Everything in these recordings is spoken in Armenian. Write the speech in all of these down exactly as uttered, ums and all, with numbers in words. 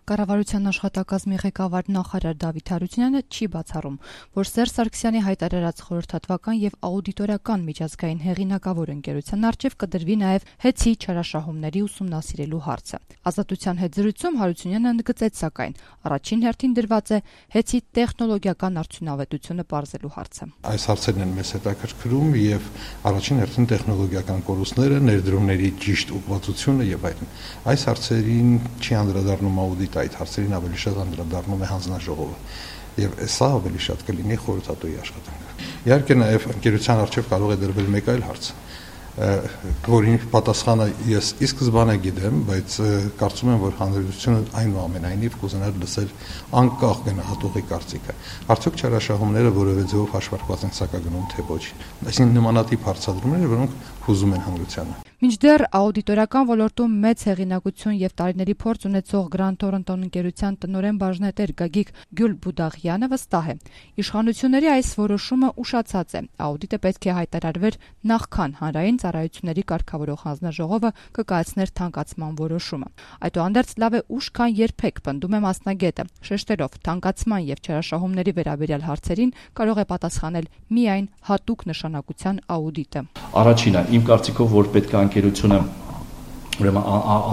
Կառավարության աշխատակազմի ղեկավար նախարար Դավիթ Հարությունյանը չի բացառում, որ Սերժ Սարգսյանի հայտարարած խորհրդատվական եւ աուդիտորական միջազգային հեղինակավոր ընկերության առջեւ կդրվի նաեւ հեծի չարաշահումների ուսումնասիրելու հարցը։ Ազատության հետ զրույցում Հարությունյանը ընդգծեց, սակայն առաջին հերթին դրված է հեծի տեխնոլոգիական արդյունավետությունը պարզելու հարցը։ Այս հարցերն են մեզ հետաքրքրում եւ առաջին հերթին տեխնոլոգիական կորուստները, ներդրումների ճիշտ ուղղվածությունը եւ այլն։ Այս հարցերին չի անդրադառնում աուդիտը, այդ հարցերին ավելի շատ անդրադառնում է հանձնաժողովը եւ սա ավելի շատ կլինի խորհրդատուի աշխատանքը։ Իհարկե նաեւ ընկերության առջեւ կարող է դրվել մեկ այլ հարց, որին պատասխանը ես ի սկզբանե գիտեմ, բայց կարծում եմ, որ հանրությունը այնուամենայնիվ կուզենար լսել անկախ գնահատողի կարծիքը։ Արդյոք չարաշահումները որևէ ձևով հաշվարկված են սակագնում, թե ոչ։ Այսինքն նմանատիպ հարցադրումներ, որոնք հուզում են հանրությանը։ Մինչդեռ աուդիտորական ոլորտում մեծ հեղինակություն եւ տարիների փորձ ունեցող Grand Toronto ընկերության տնօրեն բաժնետեր Գագիկ Գյուլբուդաղյանը վստահ է, իշխանությունների այս որոշումը ուշացած է։ Աուդիտը պետք է հայտարարվեր նախքան հանրային ծառայությունների կարգավորող հանձնաժողովը կկայացներ թանկացման որոշումը։ Այդուհանդերձ լավ է ուշ, քան երբեք, պնդում է մասնագետը, շեշտելով թանկացման եւ չարաշահումների վերաբերյալ հարցերին կարող է պատասխանել միայն հատուկ նշանակության աուդիտը։ Առաջինը, իմ կարծիքով, որ պետք է ընկերությունը ուրեմն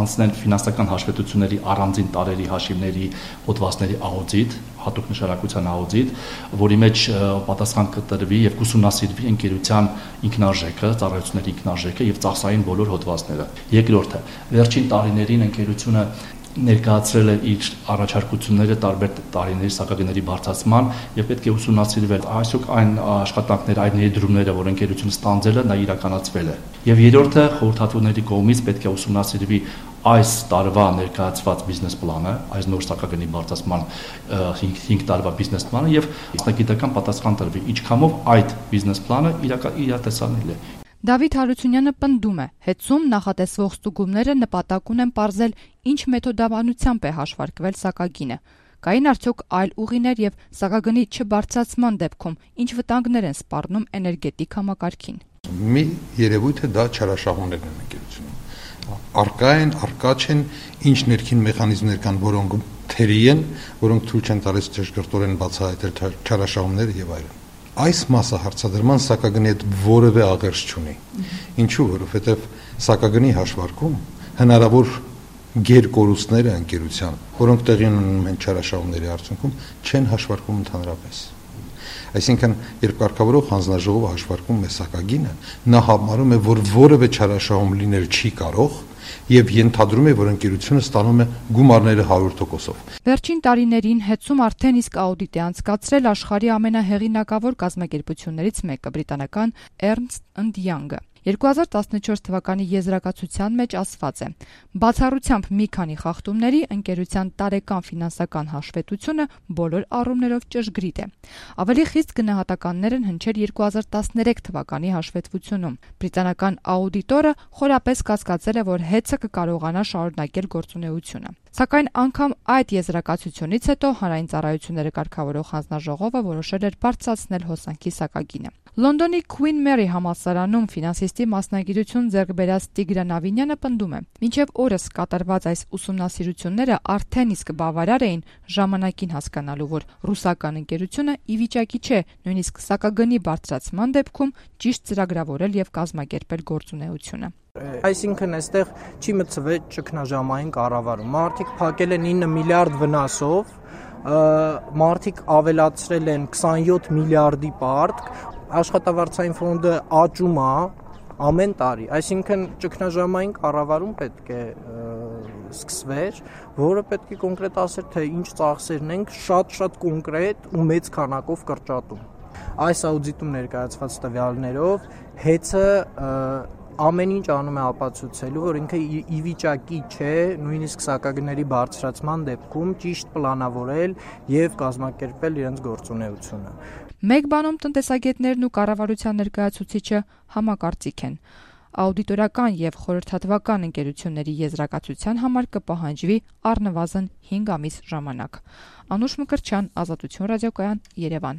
անցնել ֆինանսական հաշվետվությունների առանձին տարերի հաշիվների հոդվածների աուդիտ, հատուկ նշանակության աուդիտ, որի մեջ պատասխան կտրվի եւ կուսումնասիրվի ընկերության ինքնարժեքը, ծառայությունների ինքնարժեքը եւ ծախսային բոլոր հոդվածները։ Երկրորդը, վերջին տարիներին ընկերությունը ներկայացրել է իր առաջարկությունները տարբեր տարիների սակագների բարձրացման եւ պետք է ուսումնասիրվել այսօք այն աշխատանքները, այն ներդրումները, որ ընկերությունը ստանձել է, նա իրականացվել է։ Եվ երրորդը, խորհրդատուների կողմից պետք է ուսումնասիրվի այս տարվա ներկայացված բիզնես պլանը, այս նոր սակագնի բարձրացման հինգ տարվա բիզնես պլանը եւ մասնագիտական պատասխան տրվի, ինչքանով այդ բիզնես պլանը իրատեսանել է։ Դավիթ Հարությունյանը պնդում է, հեծում նախատեսվող ստուգումները նպատակ ունեն պարզել ինչ մեթոդաբանությամբ է հաշվարկվել սակագինը։ Կային արդյոք այլ ուղիներ եւ սակագնի չբարձրացման դեպքում ինչ վտանգներ են սպառնում էներգետիկ համակարգին։ Մի երևույթ է դա չարաշահումներն են ընկերությունում։ Արկա են, արկա չեն, ինչ ներքին մեխանիզմներ կան, որոնք թերի են, որոնք թույլ չեն տալիս ճշգրտորեն բացահայտել չարաշահումները եւ այլն։ Այս մասը հարցադրման սակագնի հետ որևէ աղերս չունի։ Ինչու, որովհետև սակագնի հաշվարկում հնարավոր գերկորուստները ընկերության, որոնք տեղի ունենում են չարաշահումների արդյունքում, չեն հաշվարկում ընդհանրապես։ Այսինքն, երբ կարգավորող հանձնաժողովը հաշվարկում է սակագինը, նա համարում է, որ որևէ չարաշահում լինել չի կարող եւ ենթադրում է, որ ընկերությունը ստանում է գումարները հարյուր տոկոսով։ Վերջին տարիներին հեծում արդեն իսկ աուդիտ է անցկացրել աշխարհի ամենահեղինակավոր կազմակերպություններից մեկը՝ բրիտանական Ernst and Young-ը։ երկու հազար տասնչորս թվականի եզրակացության մեջ ասված է. բացառությամբ մի քանի խախտումների ընկերության տարեկան ֆինանսական հաշվետվությունը բոլոր առումներով ճշգրիտ է։ Ավելի խիստ գնահատականներ են հնչել երկու հազար տասներեք թվականի հաշվետվությունում։ Բրիտանական աուդիտորը խորապես կասկածել է, որ հեծը կկարողանա շարունակել գործունեությունը։ Սակայն անգամ այդ եզրակացությունից հետո հանրային ծառայությունները կարգավորող հանձնաժողովը որոշել էր բարձրացնել հոսանքի սակագինը։ Լոնդոնի Queen Mary համալսարանում ֆինանսիստի մասնագիտություն ձեռք բերած Տիգրան Ավինյանը պնդում է. մինչև օրս կատարված այս ուսումնասիրությունները արդեն իսկ բավարար էին ժամանակին հասկանալու, որ ռուսական ընկերությունը ի վիճակի չէ նույնիսկ սակագնի բարձրացման դեպքում ճիշտ ծրագրավորել եւ կազմակերպել գործունեությունը։ Այսինքն այստեղ չի մտցվել ճգնաժամային կառավարում։ Մարդիկ փակել են ինը միլիարդ վնասով, մարդիկ ավելացրել են քսանյոթ միլիարդի պարտք, աշխատավարձային ֆոնդը աճում է ամեն տարի, այսինքն ճգնաժամային կառավարում պետք է սկսվեր, որը պետք է կոնկրետ ասեր, թե ինչ ծախսերն ենք շատ-շատ կոնկրետ ու մեծ քանակով կրճատում։ Այս աուդիտում ներկայացված տվյալներով հեծը ամեն ինչ անում է ապացուցելու, որ ինքը ի վիճակի չէ նույնիսկ սակագների բարձրացման դեպքում ճիշտ պլանավորել եւ կազմակերպել իրենց գործունեությունը։ Մեկ բանում տնտեսագետներն ու կառավարության ներկայացուցիչը համակարծիք են։ Աուդիտորական եւ խորհրդատվական ընկերությունների եզրակացության համար կպահանջվի առնվազն հինգ ամիս ժամանակ։ Անուշ Մկրտչյան, Ազատություն ռադիոկայան, Երևան։